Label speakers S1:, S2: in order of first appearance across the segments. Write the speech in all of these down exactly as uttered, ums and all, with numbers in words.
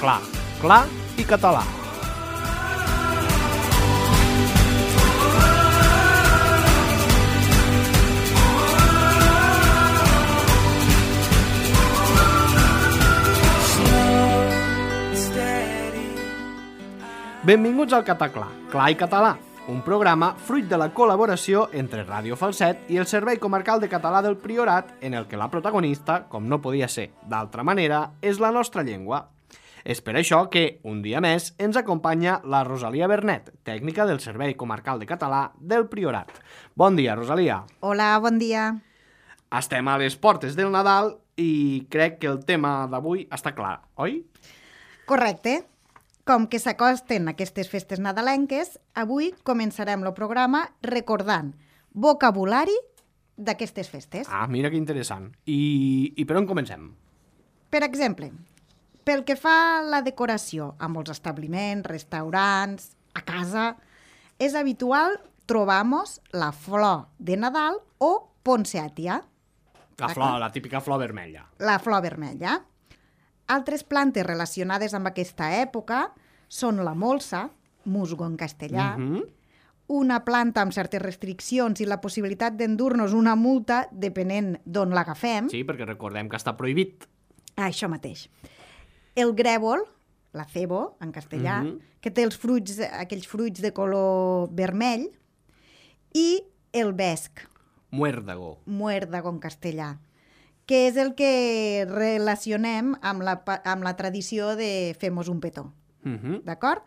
S1: Cataclà, clar i català. Benvinguts al Cataclà, clar i català, un programa fruit de la col·laboració entre Ràdio Falset i el Servei Comarcal de Català del Priorat, en el que la protagonista, com no podia ser d'altra manera, és la nostra llengua. És per això que, un dia més, ens acompanya la Rosalia Bernet, tècnica del Servei Comarcal de Català del Priorat. Bon dia, Rosalia.
S2: Hola, bon dia.
S1: Estem a les portes del Nadal i crec que el tema d'avui està clar, oi?
S2: Correcte. Com que s'acosten aquestes festes nadalenques, avui començarem el programa recordant vocabulari d'aquestes festes.
S1: Ah, mira que interessant. I, i per on comencem?
S2: Per exemple, pel que fa a la decoració a molts establiments, restaurants, a casa, és habitual trobar-nos la flor de Nadal o poinsettia.
S1: La flor, la típica flor vermella.
S2: La flor vermella. Altres plantes relacionades amb aquesta època són la molsa, musgo en castellà,
S1: Mm-hmm.
S2: una planta amb certes restriccions i la possibilitat d'endur-nos una multa depenent d'on l'agafem.
S1: Sí, perquè recordem que està prohibit.
S2: Això mateix. El grèvol, la cebo, en castellà,
S1: Mhm.
S2: que té els fruits, aquells fruits de color vermell, i el vesc,
S1: Muérdago.
S2: muérdago en castellà, que és el que relacionem amb la, pa- amb la tradició de fer-nos un petó,
S1: Mm-hmm.
S2: d'acord?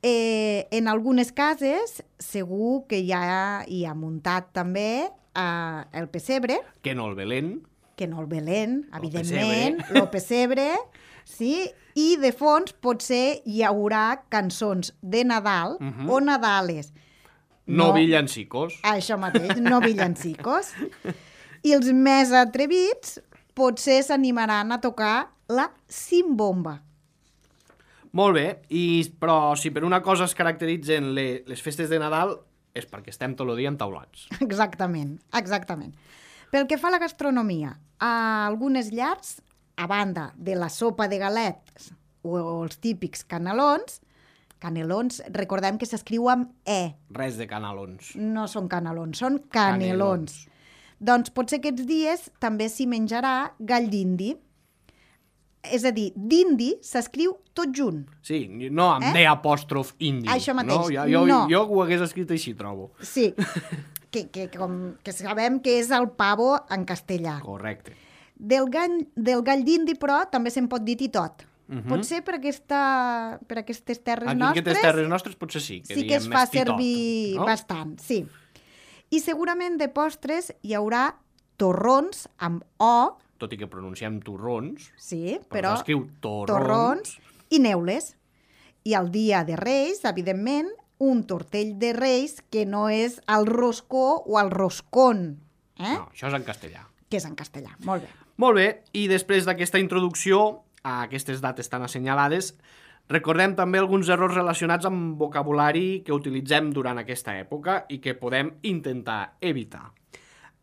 S2: Eh, en algunes cases segur que ja hi ha muntat també eh, el pessebre,
S1: Que no el Belén.
S2: que no el Belén,
S1: El
S2: evidentment, el pessebre, sí? I de fons potser hi haurà cançons de Nadal
S1: Mhm.
S2: o Nadales.
S1: No, villancicos.
S2: Això mateix, no villancicos. I els més atrevits potser s'animaran a tocar la simbomba.
S1: Molt bé, I, però si per una cosa es caracteritzen le, les festes de Nadal és perquè estem tot el dia entaulats.
S2: Exactament, exactament. Pel que fa a la gastronomia, a algunes llars, a banda de la sopa de galets o els típics canelons, canelons, recordem que s'escriu amb E,
S1: Res de canalons.
S2: no són canelons, són canelons. Doncs potser aquests dies també s'hi menjarà gall d'indi. És a dir, d'indi s'escriu tot junt.
S1: Sí, no amb
S2: Eh?
S1: D apòstrof indi.
S2: Això mateix,
S1: No? Jo, jo,
S2: no.
S1: jo ho hagués escrit així, trobo.
S2: Sí, que, que, com, que sabem que és el pavo en castellà.
S1: Correcte.
S2: Del gall, del gall d'indi, però, també se'n pot dir titot.
S1: Mhm.
S2: Potser per, aquesta, per aquestes terres
S1: Aquí en
S2: nostres
S1: aquestes terres nostres potser sí. Que
S2: sí que es
S1: diem
S2: fa
S1: més titot,
S2: servir
S1: no?
S2: bastant, sí. I segurament de postres hi haurà torrons amb O,
S1: Tot i que pronunciem torrons,
S2: sí,
S1: però
S2: però
S1: s'escriu torrons.
S2: torrons i neules. I el dia de Reis, evidentment, un tortell de Reis que no és el roscó o el roscón, eh?
S1: No, això és en castellà.
S2: Que és en castellà. Molt bé.
S1: Molt bé, i després d'aquesta introducció a aquestes dates tan assenyalades, recordem també alguns errors relacionats amb vocabulari que utilitzem durant aquesta època i que podem intentar evitar.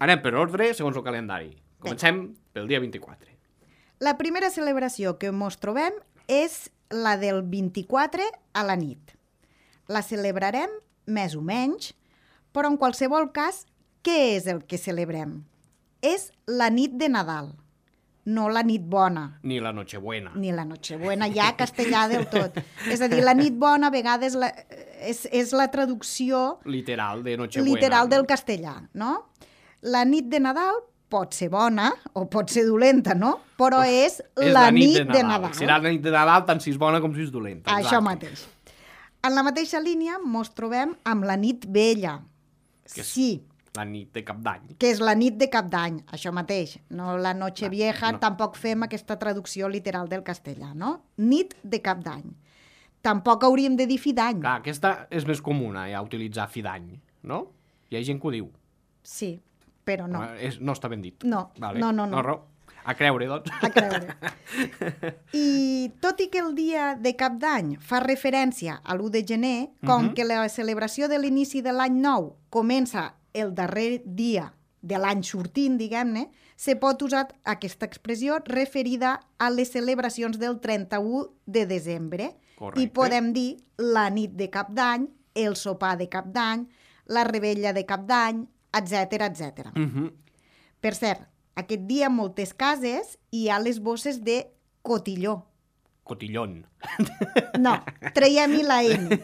S1: Anem per ordre, segons el calendari. Comencem pel dia vint-i-quatre.
S2: La primera celebració que ens trobem és la del vint-i-quatre a la nit. La celebrarem més o menys, però en qualsevol cas, què és el que celebrem? És la nit de Nadal, no la nit bona,
S1: Ni la Nochebuena.
S2: ni la Nochebuena, ja castellà del tot. És a dir, la nit bona a vegades la, és, és la traducció
S1: Literal de Nochebuena.
S2: literal
S1: no?
S2: del castellà, no? La nit de Nadal pot ser bona o pot ser dolenta, no? Però és,
S1: És
S2: la, nit de Nadal.
S1: Serà la nit de Nadal tant si és bona com si és dolenta.
S2: Això
S1: exacte.
S2: mateix. En la mateixa línia ens trobem amb la nit vella.
S1: Que és-
S2: Sí,
S1: La nit de cap d'any.
S2: que és la nit de cap d'any, això mateix. No la noche vieja,
S1: no.
S2: tampoc fem aquesta traducció literal del castellà, no? Nit de cap d'any. Tampoc hauríem de dir fi d'any.
S1: Clar, aquesta és més comuna, ja, utilitzar fi d'any, no? Hi ha gent que ho diu.
S2: Sí, però no.
S1: Eh, És, no està ben dit.
S2: No,
S1: vale.
S2: no, no, no.
S1: no raó. A creure, doncs.
S2: A creure. I tot i que el dia de cap d'any fa referència a l'u de gener, com
S1: Mhm.
S2: que la celebració de l'inici de l'any nou comença el darrer dia de l'any sortint, diguem-ne, se pot usar aquesta expressió referida a les celebracions del trenta-u de desembre.
S1: Correcte.
S2: I podem dir la nit de cap d'any, el sopar de cap d'any, la rebella de cap d'any, etcètera, etcètera.
S1: Uh-huh.
S2: Per cert, aquest dia en moltes cases hi ha les bosses de cotilló.
S1: Cotillón.
S2: No, traiem-hi la N,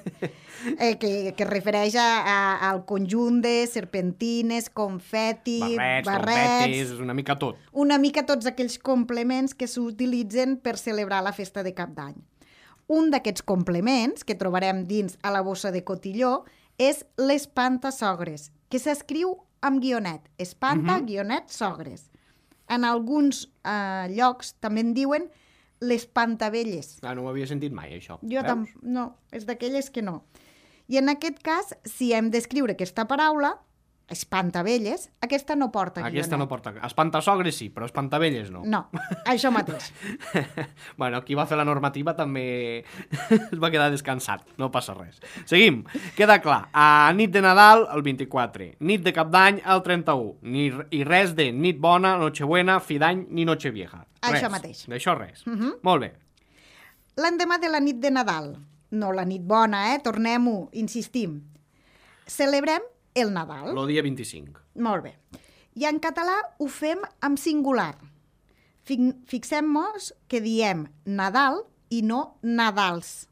S2: eh, que, que es refereix a, a, al conjunt de serpentines, confeti,
S1: Barrets,
S2: barrets...
S1: confetis, una mica tot.
S2: Una mica tots aquells complements que s'utilitzen per celebrar la festa de cap d'any. Un d'aquests complements que trobarem dins a la bossa de cotilló és l'espantasogres, que s'escriu amb guionet. Espanta, uh-huh. guionet, sogres. En alguns eh, llocs també en diuen l'espantavelles.
S1: Ah, no ho havia sentit mai, això.
S2: Jo tam... No, és d'aquelles que no. I en aquest cas, si hem d'escriure aquesta paraula, espantavelles, aquesta no porta guionet.
S1: Aquesta no porta... Espantasogres sí, però espantavelles no.
S2: No, això mateix.
S1: Bueno, qui va fer la normativa també es va quedar descansat, no passa res. Seguim, queda clar. A nit de Nadal, el vint-i-quatre. Nit de Cap d'Any, el trenta-u. Ni, I res de nit bona, nochebuena, fi d'any, ni nochevieja. Res.
S2: Això mateix.
S1: D'això res.
S2: Uh-huh.
S1: Molt bé.
S2: L'endemà de la nit de Nadal, no la nit bona, eh? Tornem-ho, insistim. Celebrem el Nadal.
S1: El dia vint-i-cinc.
S2: Molt bé. I en català ho fem amb singular. Fixem-nos que diem Nadal i no Nadals.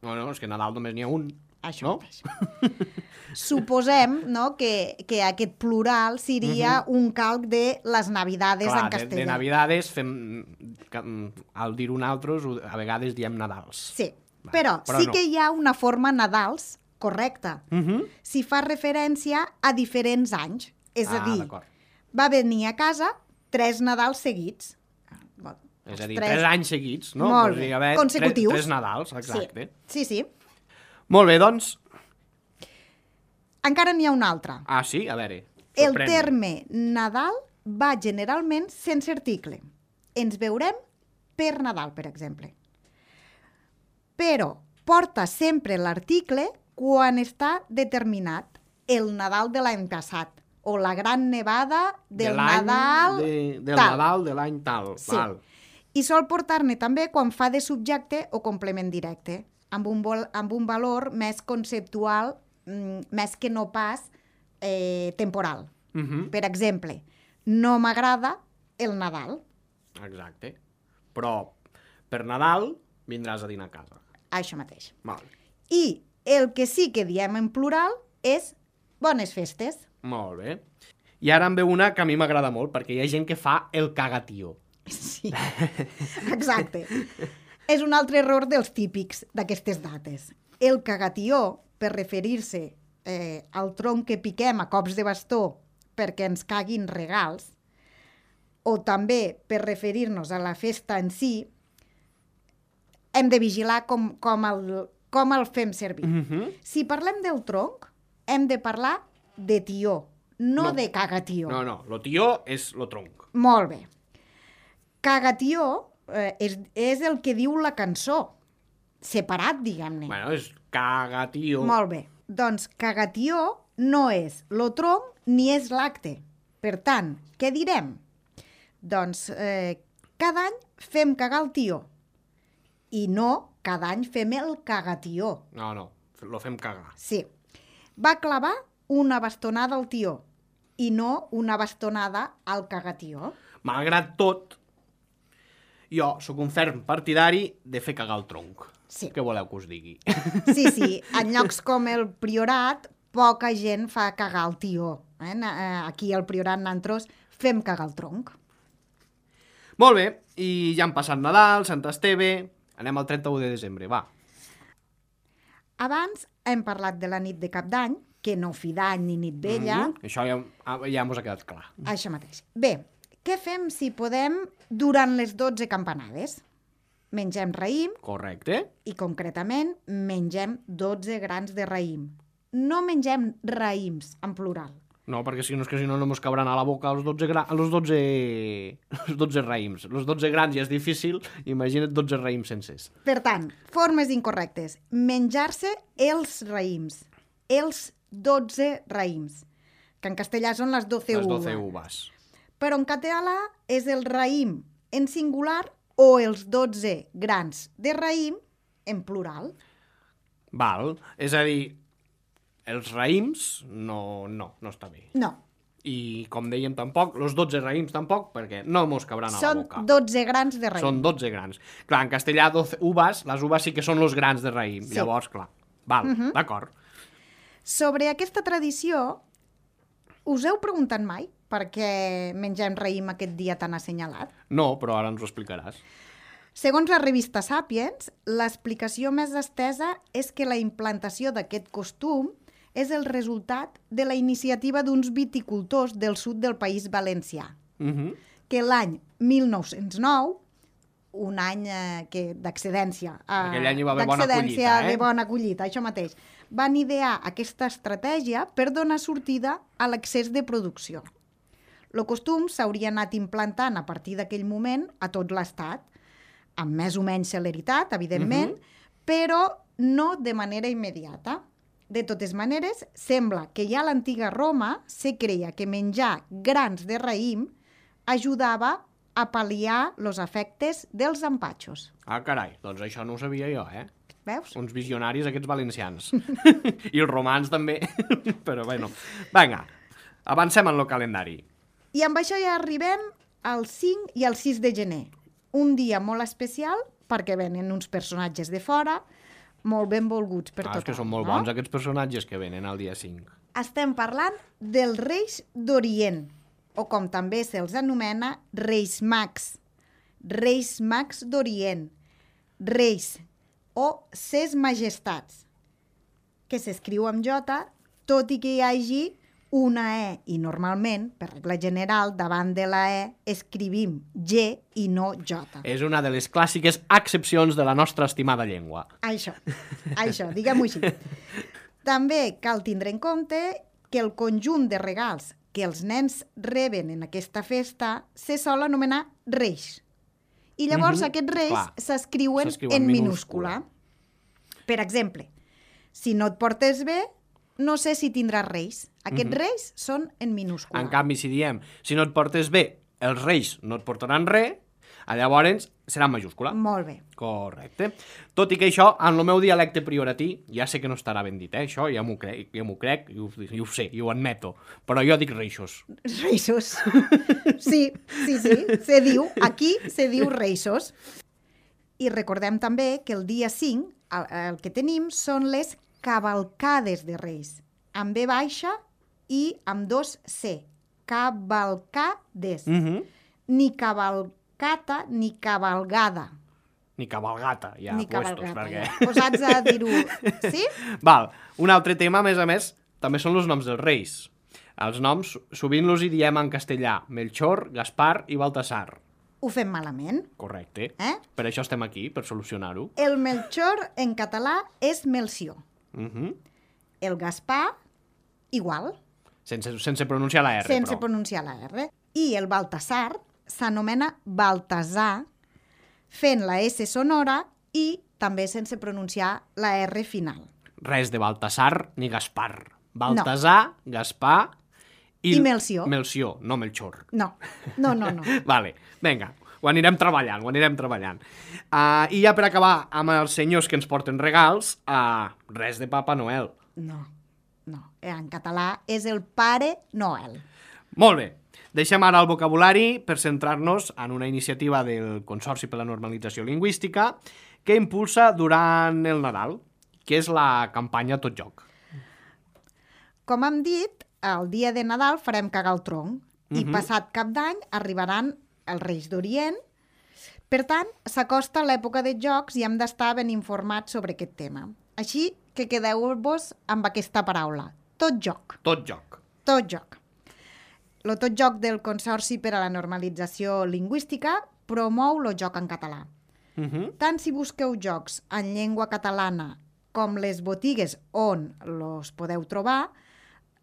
S1: No, no, és que Nadal només n'hi ha un.
S2: Això
S1: no?
S2: mateix. Suposem, no, que, que aquest plural seria uh-huh. un calc de les Navidades
S1: Clar,
S2: en castellà.
S1: De, de Navidades fem... Al dir un altre, a vegades diem Nadals.
S2: Sí, Va, però, però sí no. que hi ha una forma Nadals correcta.
S1: Uh-huh.
S2: Si fa referència a diferents anys. És
S1: ah,
S2: a dir,
S1: d'acord.
S2: va venir a casa tres Nadals seguits.
S1: Bon, és a dir, tres, tres anys seguits, no?
S2: Molt bé, haver consecutius.
S1: Tres, tres Nadals, exacte.
S2: Sí, sí. sí.
S1: Molt bé, doncs.
S2: Encara n'hi ha un altre.
S1: Ah, sí? A veure,
S2: el terme Nadal va generalment sense article. Ens veurem per Nadal, per exemple. Però porta sempre l'article quan està determinat el Nadal de l'any passat o la gran nevada del
S1: de
S2: Nadal
S1: de, del
S2: tal.
S1: Nadal de l'any tal.
S2: Sí.
S1: Val.
S2: I sol portar-ne també quan fa de subjecte o complement directe, amb un, vol, amb un valor més conceptual, mm, més que no pas eh, temporal.
S1: Uh-huh.
S2: Per exemple, no m'agrada el Nadal.
S1: Exacte. Però per Nadal vindràs a dinar a casa.
S2: Això mateix.
S1: Val.
S2: I el que sí que diem en plural és bones festes.
S1: Molt bé. I ara en ve una que a mi m'agrada molt, perquè hi ha gent que fa el cagatió.
S2: Sí, exacte. És un altre error dels típics d'aquestes dates. El cagatió, per referir-se eh, al tronc que piquem a cops de bastó perquè ens caguin regals, o també per referir-nos a la festa en si, hem de vigilar com, com, el, com el fem servir.
S1: Uh-huh.
S2: Si parlem del tronc, hem de parlar de tió, no, no. de cagatió.
S1: No, no, lo tió és lo tronc.
S2: Molt bé. Cagatió eh, és, és el que diu la cançó, separat, diguem-ne.
S1: Bueno, és cagatió.
S2: Molt bé. Doncs cagatió no és lo tronc ni és l'acte. Per tant, què direm? Doncs eh, cada any fem cagar el tió. I no, cada any fem el cagatió.
S1: No, no, lo fem cagar.
S2: Sí. Va clavar una bastonada al tió i no una bastonada al cagatió.
S1: Malgrat tot, jo sóc un ferm partidari de fer cagar el tronc.
S2: Sí.
S1: Què voleu que us digui?
S2: Sí, sí. En llocs com el Priorat, poca gent fa cagar el tió. Eh? Aquí al Priorat, nosaltres, fem cagar el tronc.
S1: Molt bé, i ja han passat Nadal, Sant Esteve... Anem al trenta-u de desembre, va.
S2: Abans hem parlat de la nit de Cap d'Any, que no fi d'any ni nit vella.
S1: Mm-hmm. Això ja, ja mos ha quedat clar.
S2: Això mateix. Bé, què fem si podem durant les dotze campanades? Mengem raïm.
S1: Correcte.
S2: I concretament mengem dotze grans de raïm. No mengem raïms en plural.
S1: No, perquè si no és que si no no mos cabran a la boca els dotze, gra... els dotze... els dotze raïms. Els dotze grans ja és difícil, imagina't dotze raïms sencers.
S2: Per tant, formes incorrectes. Menjar-se els raïms. Els dotze raïms. que en castellà són les doce
S1: Les
S2: uvas.
S1: doce uvas.
S2: Però en català és el raïm en singular o els dotze grans de raïm en plural.
S1: Val, és a dir, els raïms no, no, no està bé.
S2: No,
S1: I, com dèiem, tampoc, els dotze raïms tampoc, perquè no mos cabran a la
S2: són
S1: boca.
S2: dotze grans de raïm.
S1: Són dotze grans. Clar, en castellà, doce uvas, les uvas sí que són els grans de raïm.
S2: Sí.
S1: Llavors, clar, val, uh -huh. d'acord.
S2: Sobre aquesta tradició, us heu preguntat mai per què mengem raïm aquest dia tan assenyalat?
S1: No, però ara ens ho explicaràs.
S2: Segons la revista Sapiens, l'explicació més estesa és que la implantació d'aquest costum és el resultat de la iniciativa d'uns viticultors del sud del País Valencià,
S1: Uh -huh.
S2: que l'any mil nou-cents nou, un any eh, que d'accedència, eh,
S1: Aquell any hi va haver bona
S2: d'accedència
S1: collita, eh?
S2: de bona collita, això mateix, van idear aquesta estratègia per donar sortida a l'excés de producció. El costum s'hauria anat implantant a partir d'aquell moment a tot l'Estat, amb més o menys celeritat, evidentment, uh -huh. però no de manera immediata. De totes maneres, sembla que ja a l'antiga Roma se creia que menjar grans de raïm ajudava a pal·liar els efectes dels empatxos.
S1: Ah, carai, doncs això no ho sabia jo, eh?
S2: Veus?
S1: Uns visionaris, aquests valencians. I els romans també. Però, bueno, vinga, avancem en el calendari.
S2: I amb això ja arribem al cinc i al sis de gener. Un dia molt especial perquè venen uns personatges de fora molt ben volguts per
S1: ah,
S2: tothom.
S1: és que són molt
S2: no?
S1: bons aquests personatges que venen al dia cinc.
S2: Estem parlant dels Reis d'Orient, o com també se'ls anomena, Reis Mags. Reis Mags d'Orient. Reis o Ses Majestats, que s'escriu amb J, tot i que hi hagi una E, i normalment, per regla general, davant de la E escrivim G i no J.
S1: És una de les clàssiques excepcions de la nostra estimada llengua.
S2: Això, això, diguem-ho així. També cal tindre en compte que el conjunt de regals que els nens reben en aquesta festa se sol anomenar reis. I llavors
S1: Mhm,
S2: aquests reis
S1: clar.
S2: s'escriuen
S1: S'escriuen
S2: en
S1: minúscula.
S2: minúscula. Per exemple, si no et portes bé, no sé si tindràs reis. Aquests reis són en minúscula.
S1: En canvi, si diem, si no et portes bé, els reis no et portaran res, llavors serà en majúscula.
S2: Molt bé.
S1: Correcte. Tot i que això, en el meu dialecte prioratí, ja sé que no estarà ben dit, eh? Això ja m'ho crec, ja m'ho crec i ho, i ho sé, i ho admeto. Però jo dic reixos.
S2: Reisos. Sí, sí, sí, se diu, aquí se diu reisos. I recordem també que el dia cinc, el, el que tenim són les cavalcades de Reis, amb B baixa i amb dos C. Cavalcades.
S1: Mm -hmm.
S2: Ni cavalcata ni cavalgada.
S1: Ni cabalgata, ja,
S2: ni
S1: puestos,
S2: cavalcata.
S1: perquè...
S2: Ja. Posats a dir-ho. Sí?
S1: Val, un altre tema, a més a més, també són els noms dels reis. Els noms, sovint els hi diem en castellà, Melchor, Gaspar i Baltasar.
S2: Ho fem malament.
S1: Correcte.
S2: Eh?
S1: Per això estem aquí, per solucionar-ho.
S2: El Melchor en català és Melció.
S1: Uh -huh.
S2: El Gaspar, igual,
S1: sense, sense pronunciar la R,
S2: sense
S1: però.
S2: pronunciar la R. I el Baltasar s'anomena Baltasar, fent la S sonora i també sense pronunciar la R final.
S1: Res de Baltasar ni Gaspar. Baltasar, no. Gaspar i...
S2: I Melció.
S1: Melció, no Melchor.
S2: No, no, no, no.
S1: Vale, vinga, ho anirem treballant, ho anirem treballant. Uh, I ja per acabar amb els senyors que ens porten regals, uh, res de Papa Noel.
S2: No, no. En català és el Pare Noel.
S1: Molt bé. Deixem ara el vocabulari per centrar-nos en una iniciativa del Consorci per la Normalització Lingüística que impulsa durant el Nadal, que és la campanya Tot Joc.
S2: Com hem dit, el dia de Nadal farem cagar el tronc uh -huh. i passat Cap d'Any arribaran els Reis d'Orient. Per tant, s'acosta l'època de jocs i hem d'estar ben informats sobre aquest tema. Així que quedeu-vos amb aquesta paraula. Tot joc.
S1: Tot joc.
S2: Tot joc. Lo Tot Joc del Consorci per a la Normalització Lingüística promou el joc en català.
S1: Uh -huh.
S2: Tant si busqueu jocs en llengua catalana com les botigues on los podeu trobar,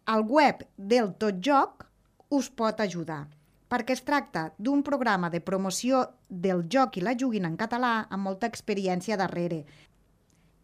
S2: el web del Tot Joc us pot ajudar, perquè es tracta d'un programa de promoció del joc i la joguina en català amb molta experiència darrere.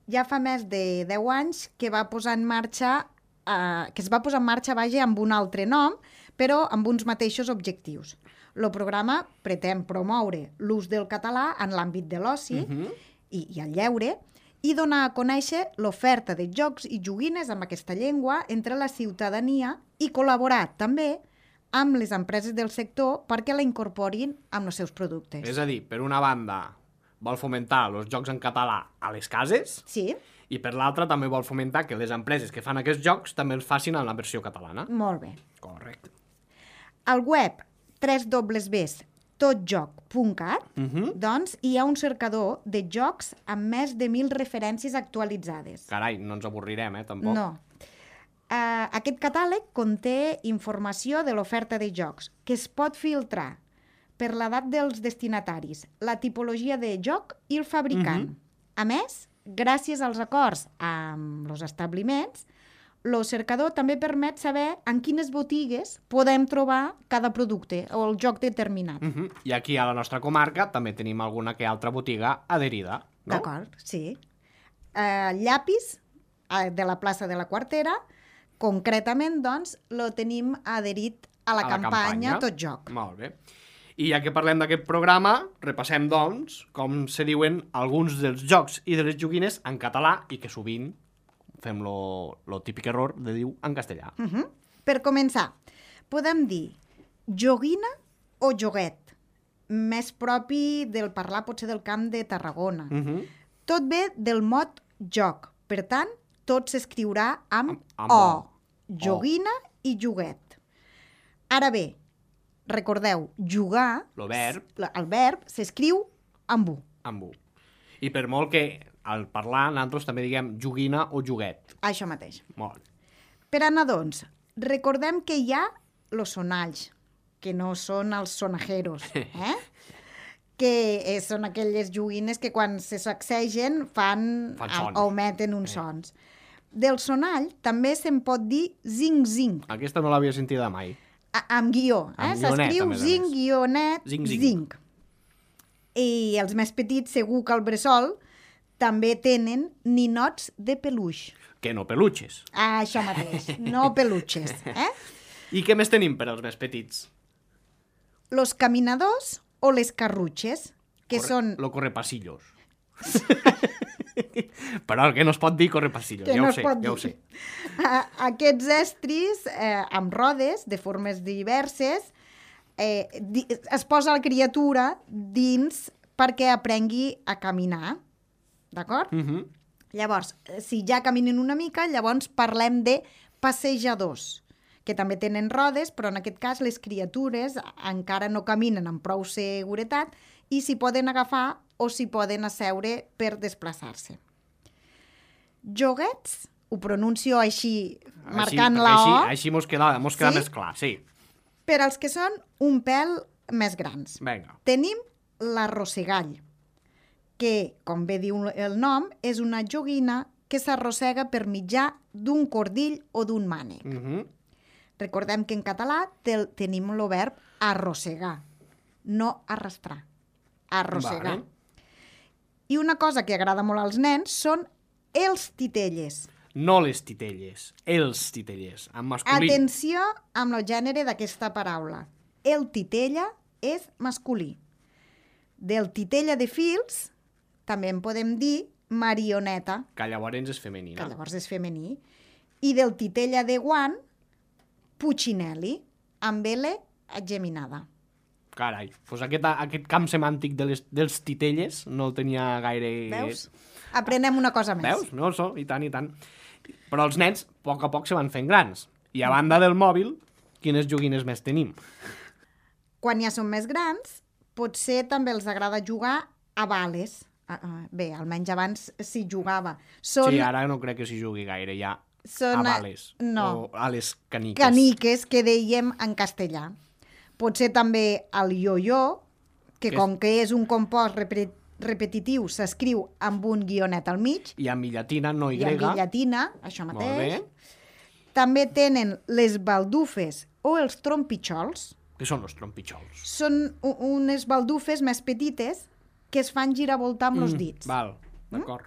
S2: Ja fa més de deu anys que va posar en marxa eh, que es va posar en marxa, vaja, amb un altre nom, però amb uns mateixos objectius. El programa pretén promoure l'ús del català en l'àmbit de l'oci uh-huh. i, i el lleure i donar a conèixer l'oferta de jocs i joguines amb aquesta llengua entre la ciutadania i col·laborar també amb les empreses del sector perquè la incorporin amb els seus productes.
S1: És a dir, per una banda vol fomentar els jocs en català a les cases
S2: sí.
S1: i per l'altra també vol fomentar que les empreses que fan aquests jocs també els facin en la versió catalana.
S2: Molt bé.
S1: Correcte.
S2: Al web w w w punt totjoc punt cat
S1: Uh-huh.
S2: doncs hi ha un cercador de jocs amb més de mil referències actualitzades.
S1: Carai, no ens avorrirem, eh, tampoc.
S2: No. Uh, aquest catàleg conté informació de l'oferta de jocs que es pot filtrar per l'edat dels destinataris, la tipologia de joc i el fabricant. Uh-huh. A més, gràcies als acords amb els establiments, el cercador també permet saber en quines botigues podem trobar cada producte o el joc determinat.
S1: Uh-huh. I aquí a la nostra comarca també tenim alguna que altra botiga adherida, no?
S2: D'acord, sí. Uh, llapis uh, de la plaça de la Quartera, concretament, doncs, lo tenim adherit a la,
S1: A la
S2: campanya,
S1: campanya.
S2: Tot Joc.
S1: Molt bé. I ja que parlem d'aquest programa, repassem, doncs, com se diuen alguns dels jocs i de les joguines en català i que sovint fem lo, lo típic error de dir en castellà.
S2: Uh -huh. Per començar, podem dir joguina o joguet, més propi del parlar potser del Camp de Tarragona.
S1: Uh -huh.
S2: Tot ve del mot joc, per tant, tot s'escriurà amb,
S1: Amb- amb
S2: O.
S1: O.
S2: Joguina i joguet. Ara bé, recordeu, jugar,
S1: Lo verb.
S2: el verb s'escriu amb U.
S1: Amb U. I per molt que al parlar nosaltres també diguem joguina o joguet.
S2: Això mateix.
S1: Molt bé.
S2: Per a nadons, recordem que hi ha los sonalls, que no són els sonajeros, eh? que eh, són aquelles joguines que quan se sacsegen fan,
S1: Fan
S2: a-
S1: sons.
S2: augmenten uns sons. Del sonall també se'n pot dir zing-zing,
S1: Aquesta no l'havia sentida mai.
S2: a- amb guió. Eh?
S1: Amb guionet,
S2: S'escriu
S1: a més a
S2: zing,
S1: més.
S2: guionet,
S1: Zing, zing.
S2: zing. I els més petits, segur que al bressol, també tenen ninots de peluix.
S1: Que no peluches.
S2: Ah, això mateix, no peluches. Eh?
S1: I què més tenim per als més petits?
S2: Los caminadors o les carrutxes, que
S1: Corre,
S2: són...
S1: Lo correpasillos. Però el que no es pot dir correpasillos,
S2: que
S1: ja
S2: no
S1: ho
S2: es
S1: sé,
S2: pot
S1: ja ho
S2: dir.
S1: sé.
S2: A- Aquests estris eh, amb rodes de formes diverses eh, di es posa la criatura dins perquè aprengui a caminar, d'acord?
S1: Uh -huh.
S2: Llavors, eh, si ja caminen una mica, llavors parlem de passejadors, que també tenen rodes, però en aquest cas les criatures encara no caminen amb prou seguretat i s'hi poden agafar o s'hi poden asseure per desplaçar-se. Joguets, ho pronuncio així, marcant
S1: així,
S2: la
S1: així,
S2: O,
S1: Així mos queda, mos queda
S2: Sí?
S1: més clar, sí.
S2: per als que són un pèl més grans.
S1: Vinga.
S2: Tenim l'arrossegall, que, com bé diu el nom, és una joguina que s'arrossega per mitjà d'un cordill o d'un mànec.
S1: Uh -huh.
S2: Recordem que en català te, tenim el verb arrossegar, no arrastrar, arrossegar.
S1: Vale.
S2: I una cosa que agrada molt als nens són els titelles.
S1: No les titelles, els titelles, en masculí.
S2: Atenció amb el gènere d'aquesta paraula. El titella és masculí. Del titella de fils també en podem dir marioneta,
S1: Que llavors és
S2: que
S1: femenina.
S2: llavors és femení, i del titella de guant, puccinelli, amb L geminada.
S1: Carai, doncs aquest, aquest camp semàntic de les, dels titelles no el tenia gaire...
S2: Veus? Aprenem una cosa més.
S1: Veus? No, so, i tant, i tant. Però els nens, a poc a poc, se van fent grans. I a banda del mòbil, quines joguines més tenim?
S2: Quan ja són més grans, potser també els agrada jugar a bales. Ah, ah, bé, almenys abans s'hi jugava. Són
S1: Sí, ara no crec que s'hi jugui gaire, ja.
S2: Són,
S1: a bales.
S2: no.
S1: O a les caniques.
S2: caniques, que dèiem en castellà. Potser també el yo-yo, que,
S1: Que
S2: com
S1: és-
S2: que és un compost repre- repetitiu, s'escriu amb un guionet al mig,
S1: I amb llatina, no y.
S2: i en llatina, això
S1: Molt
S2: mateix.
S1: bé.
S2: També tenen les baldufes o els trompitxols.
S1: Què són els trompitxols?
S2: Són u- unes baldufes més petites que es fan giravoltar amb els dits.
S1: Val, d'acord.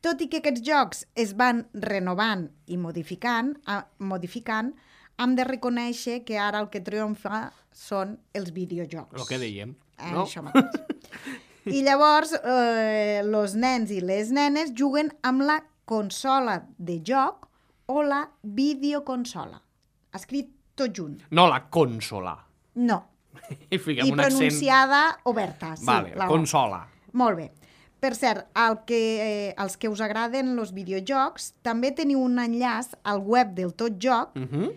S2: Tot i que aquests jocs es van renovant i modificant, a, modificant, hem de reconèixer que ara el que triomfa són els videojocs.
S1: El que dèiem,
S2: eh,
S1: no?
S2: Això mateix. I llavors, eh, els nens i les nenes juguen amb la consola de joc o la videoconsola. Escrit tot junt.
S1: No la consola.
S2: No.
S1: I fiquem
S2: I
S1: un accent...
S2: pronunciada oberta. Sí,
S1: Vale,
S2: la
S1: consola.
S2: Molt bé. Per cert, el que, eh, els que us agraden els videojocs, també teniu un enllaç al web del Tot Joc,
S1: Uh -huh.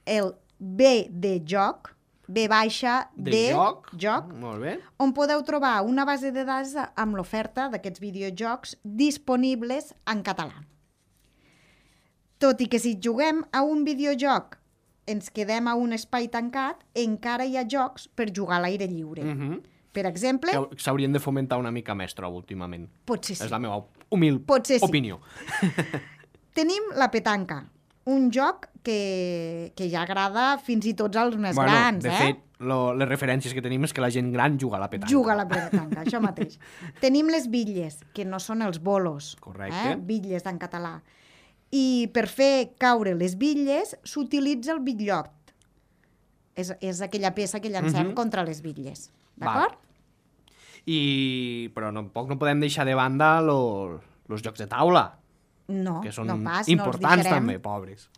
S2: el B de joc, B baixa
S1: De
S2: de
S1: joc.
S2: joc,
S1: Molt bé.
S2: on podeu trobar una base de dades amb l'oferta d'aquests videojocs disponibles en català. Tot i que si juguem a un videojoc ens quedem a un espai tancat, encara hi ha jocs per jugar a l'aire lliure.
S1: Uh -huh.
S2: Per exemple,
S1: Que s'haurien de fomentar una mica més, trobo, últimament.
S2: potser sí.
S1: És la meva humil
S2: Potser sí.
S1: opinió.
S2: Tenim la petanca, un joc que, que ja agrada fins i tot als més
S1: Bueno,
S2: grans,
S1: de
S2: eh?
S1: fet, lo, les referències que tenim és que la gent gran juga a la petanca.
S2: Juga a la petanca, això mateix. Tenim les bitlles, que no són els bolos.
S1: Correcte.
S2: Eh? Bitlles en català. I per fer caure les bitlles s'utilitza el bitllot. És, és aquella peça que llancem
S1: Mhm.
S2: contra les bitlles.
S1: Val.
S2: D'acord?
S1: I... Però tampoc no podem deixar de banda els jocs de taula,
S2: No,
S1: que són
S2: no pas,
S1: importants
S2: no els deixarem.
S1: també, pobres.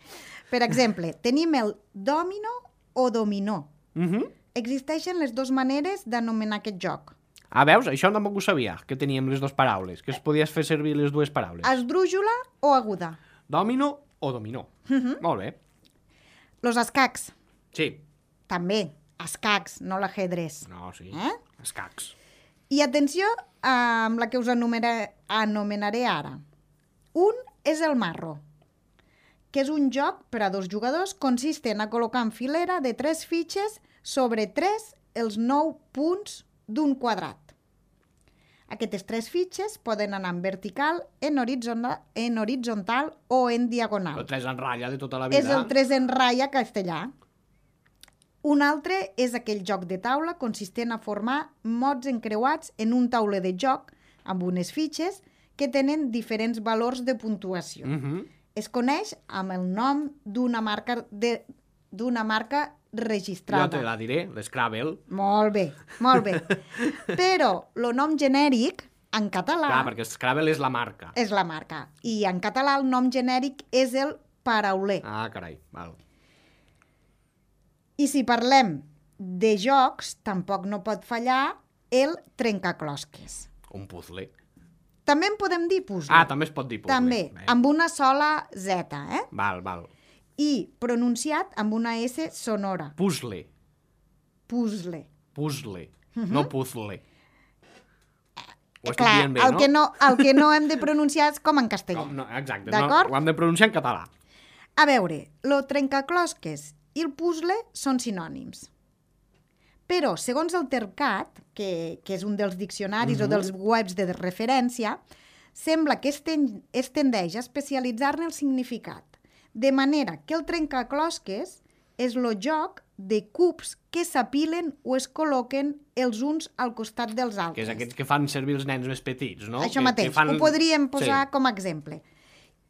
S2: Per exemple, tenim el domino o dominó.
S1: Uh -huh.
S2: Existeixen les dues maneres d'anomenar aquest joc.
S1: Ah, veus? Això tampoc ho sabia, que teníem les dues paraules, que es podies fer servir les dues paraules.
S2: Esdrújula o aguda.
S1: Domino o dominó. Uh
S2: Mhm.
S1: -huh. Molt bé.
S2: Los escacs,
S1: Sí.
S2: també. Escacs, no l'ajedrez.
S1: No, sí.
S2: Eh?
S1: Escacs.
S2: I atenció amb la que us anomenaré, anomenaré ara. Un és el marro, que és un joc per a dos jugadors consistent a col·locar en filera de tres fitxes sobre tres els nou punts d'un quadrat. Aquestes tres fitxes poden anar en vertical, en horitzontal, en horitzontal o en diagonal.
S1: El tres en ratlla de tota la vida.
S2: És el tres en ratlla castellà. Un altre és aquell joc de taula consistent a formar mots encreuats en un tauler de joc amb unes fitxes que tenen diferents valors de puntuació.
S1: Uh -huh.
S2: Es coneix amb el nom d'una marca de d'una marca registrada.
S1: Jo te la diré, l'Scrabble.
S2: Molt bé, molt bé. Però el nom genèric, en català,
S1: Clar, perquè Scrabble és la marca.
S2: és la marca. I en català el nom genèric és el parauler.
S1: Ah, carai, val.
S2: I si parlem de jocs, tampoc no pot fallar el trencaclosques.
S1: Un puzzle.
S2: També en podem dir puzzle.
S1: Ah, també es pot dir puzzle.
S2: També,
S1: Bé.
S2: amb una sola Z, eh?
S1: Val, val.
S2: I pronunciat amb una S sonora.
S1: Puzzle.
S2: Puzzle.
S1: Puzzle. No puzzle. Ho estic
S2: Clar,
S1: dient bé,
S2: el,
S1: no?
S2: que no, el que no hem de pronunciar és com en castellà.
S1: Com, no, exacte, no,
S2: D'acord?
S1: ho hem de pronunciar en català.
S2: A veure, lo trencaclosques i el puzzle són sinònims. Però, segons el Tercat, que, que és un dels diccionaris
S1: Mhm.
S2: o dels webs de referència, sembla que es, ten, es tendeix a especialitzar-ne el significat. De manera que el trencaclosques és el joc de cubs que s'apilen o es col·loquen els uns al costat dels altres.
S1: Que és aquests que fan servir els nens més petits, no?
S2: Això
S1: que,
S2: mateix,
S1: que fan...
S2: ho podríem posar
S1: Sí.
S2: com a exemple.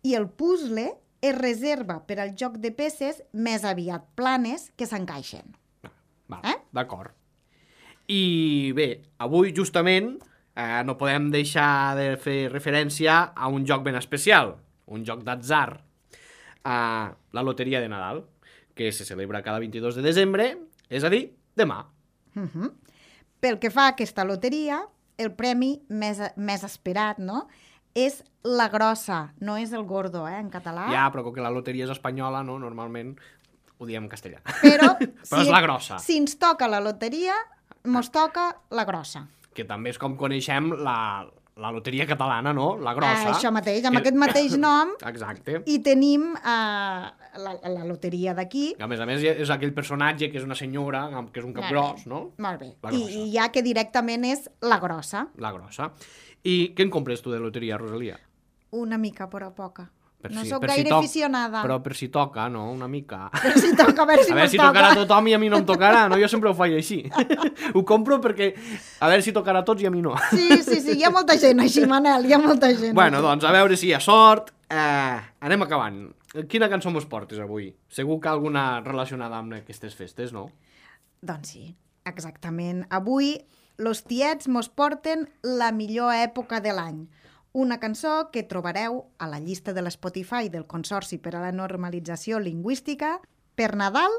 S2: I el puzzle es reserva per al joc de peces més aviat planes que s'encaixen.
S1: Val,
S2: Eh?
S1: d'acord. I bé, avui justament eh, no podem deixar de fer referència a un joc ben especial, un joc d'atzar, eh, la loteria de Nadal, que se celebra cada vint-i-dos de desembre, és a dir, demà.
S2: Uh -huh. Pel que fa a aquesta loteria, el premi més, més esperat, no?, és la grossa, no és el gordo, eh, en català.
S1: Ja, però com que la loteria és espanyola, no? Normalment ho diem en castellà.
S2: Però,
S1: Però és la grossa.
S2: Si ens toca la loteria, mos toca la grossa.
S1: Que també és com coneixem la, la loteria catalana, no? La grossa.
S2: Ah, això mateix, amb
S1: que...
S2: aquest mateix nom,
S1: Exacte.
S2: i tenim eh, la, la loteria d'aquí.
S1: A més a més, és aquell personatge que és una senyora, que és un cap
S2: Molt
S1: gros,
S2: bé,
S1: no?
S2: Molt bé.
S1: La
S2: I,
S1: grossa.
S2: I ja que directament és la grossa.
S1: La grossa. I què en compres tu de loteria, Rosalia?
S2: Una mica, però poca.
S1: Per
S2: no
S1: si,
S2: sóc
S1: per si
S2: gaire
S1: toc,
S2: aficionada.
S1: Però per si toca, no? Una mica.
S2: Per si toca, a veure si
S1: A veure
S2: mos
S1: si
S2: toca.
S1: tocarà a tothom i a mi no em tocarà, no? Jo sempre ho faig així. Ho compro perquè a veure si tocarà a tots i a mi no.
S2: Sí, sí, sí, hi ha molta gent així, Manel, hi ha molta gent.
S1: Bueno,
S2: així.
S1: doncs, a veure si hi ha sort. Eh, anem acabant. Quina cançó mos portes avui? Segur que alguna relacionada amb aquestes festes, no?
S2: Doncs sí, exactament. Avui, los tiets mos porten la millor època de l'any. Una cançó que trobareu a la llista de l'Spotify del Consorci per a la Normalització Lingüística. Per Nadal,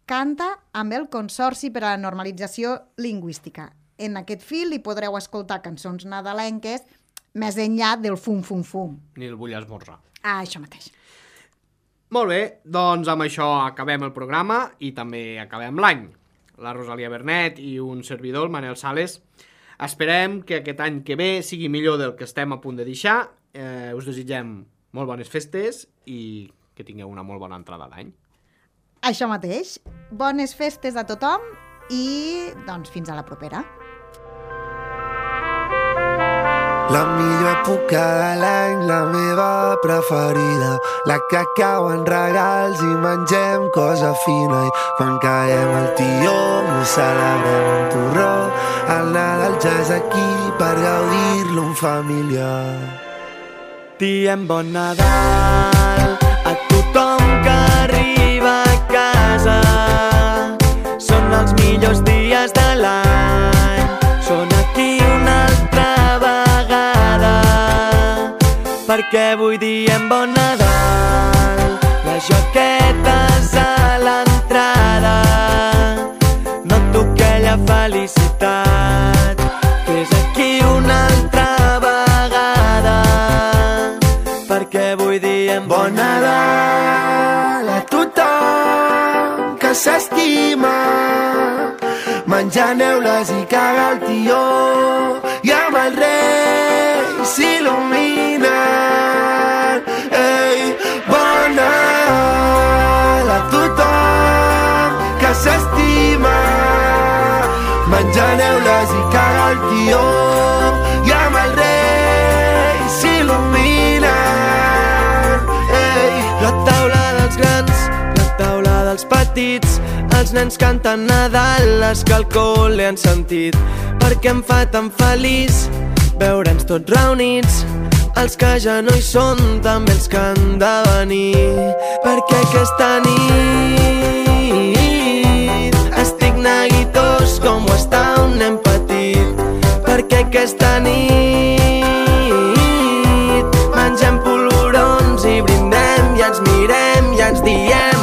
S2: canta amb el Consorci per a la Normalització Lingüística. En aquest fil hi podreu escoltar cançons nadalenques més enllà del fum-fum-fum.
S1: Ni el vull esmorzar.
S2: Ah, això mateix.
S1: Molt bé, doncs amb això acabem el programa i també acabem l'any. La Rosalia Bernet i un servidor, el Manel Sales. Esperem que aquest any que ve sigui millor del que estem a punt de deixar. Eh, us desitgem molt bones festes i que tingueu una molt bona entrada d'any.
S2: Això mateix. Bones festes a tothom i, doncs, fins a la propera.
S3: La millor època de l'any, la meva preferida, la que cau en regals i mengem cosa fina. I quan caiem al tió, no celebrem un torró. El Nadal ja és aquí per gaudir-lo en família.
S4: Diem bon Nadal a tothom que arriba a casa. Són els millors dies de l'any, són aquí una altra vegada, perquè avui diem bon Nadal. Les joquetes a l'entrada, noto aquella felicitat, que és aquí una altra vegada, perquè avui diem bon Nadal
S3: a tothom que s'estima, menjant neules i caga el tió, i amb el rei s'il·luminen. Ei, bon Nadal a tothom que s'estima, menjant neules i caga el tió, i amb el rei s'il·luminen. Ei,
S4: la taula dels grans, la taula dels petits, els nens canten Nadal, les que al col·le han sentit, perquè em fa tan feliç veure'ns tots reunits, els que ja no hi són, també els que han de venir, perquè aquesta nit estic neguitós com ho està un nen petit, perquè aquesta nit mengem polvorons i brindem i ens mirem i ens diem